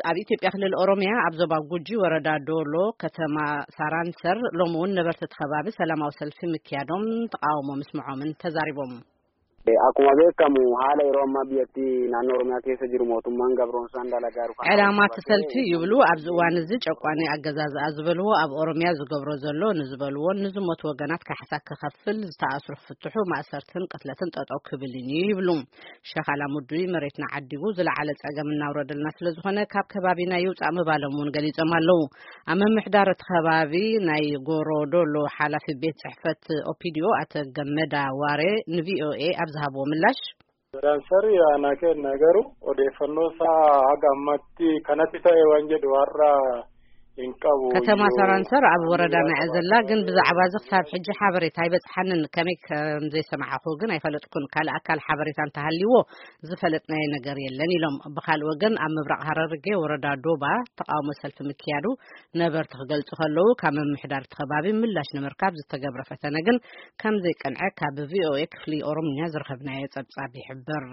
ኣብ ኢትዮጵያ ክልል ኦሮሚያ ኣብ ዞባ ጉጂ ወረዳ ዶሎ ከተማ ሳራንሰር ሎሚ እውን ነበርቲ እቲ ከባቢ ሰላማዊ ሰልፊ ምክያዶም ተቃውሞ ምስምዖምን ተዛሪቦም። Akkuma beekamu haala yeroo ammaa biyyattii naannoo Oromiyaa keessa jiru mootummaan gabroonsaan dalagaa jiru kana ዕላማ እቲ ሰልፊ ይብሉ ኣብዚ እዋን እዚ ጨቋኒ ኣገዛዝኣ ዝበልዎ ኣብ ኦሮሚያ ዝገብሮ ዘሎ ንዝበልዎን ንዝሞቱ ወገናት ካሕሳ ክኸፍል፣ ዝተኣስሩ ክፍትሑ፣ ማእሰርትን ቅትለትን ጠጠው ክብልን እዩ ይብሉ። ሸኻላ ሙዱይ መሬትና ዓዲጉ ዝለዓለ ጸገም እናውረደልና ስለ ዝኾነ ካብ ከባቢና ይውጻእ ምባሎም እውን ገሊጾም ኣለዉ። ኣብ ምምሕዳር እቲ ከባቢ ናይ ጎሮዶሎ ሓላፊ ቤት ጽሕፈት ኦፒዲዮ ኣቶ ገመዳ ዋሬ ንቪኦኤ ኣብ ዝሃብዎ ምላሽ፣ Saranser aanaa keenya garuu odeeffannoo isaa haga ammatti kanatti ta'e waan jedhu har'a hin qabu. ከተማ ሰራንሰር ኣብ ወረዳና እያ ዘላ፣ ግን ብዛዕባ እዚ ክሳብ ሕጂ ሓበሬታ ኣይበጽሓንን። ከመይ ከም ዘይሰማዕኹ ግን ኣይፈለጥኩን። ካልእ ኣካል ሓበሬታ እንተሃልይዎ ዝፈለጥናዮ ነገር የለን ኢሎም። ብኻልእ ወገን ኣብ ምብራቕ ሃረርጌ ወረዳ ዶባ ተቃውሞ ሰልፊ ምክያዱ ነበርቲ ክገልጹ ከለዉ፣ ካብ ምምሕዳር እቲ ከባቢ ምላሽ ንምርካብ ዝተገብረ ፈተነ ግን ከም ዘይቀንዐ ካብ ቪኦኤ ክፍሊ ኦሮምኛ ዝረኸብናዮ ጸብጻብ ይሕብር።